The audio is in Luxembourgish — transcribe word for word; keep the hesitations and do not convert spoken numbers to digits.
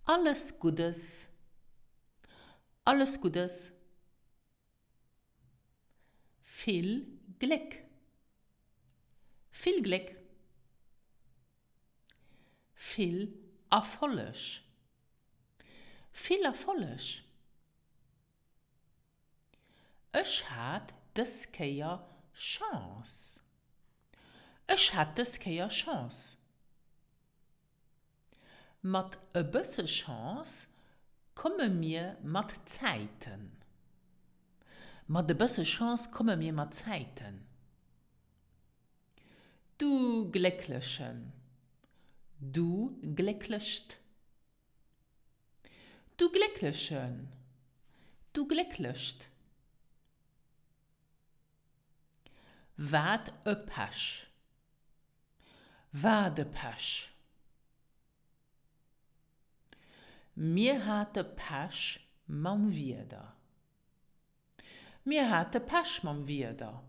Alles Guddes. Alles Guddes. Vill Gléck. Vill Gléck. Vill Erfolleg. Vill Erfolleg. Ech hat dës Kéier Chance. Ech hat dës Kéier Chance. Mat e bësse Chance komme mir mat Zäiten. Mat e bësse Chance komme mir mat Zäiten. Du Glécklechen. Du Glécklecht. Du Glécklechen. Du Glécklecht. Wat e Pech. Wat e Pech. Mir hate Pech mam Wieder. Mir hate Pech mam Wieder.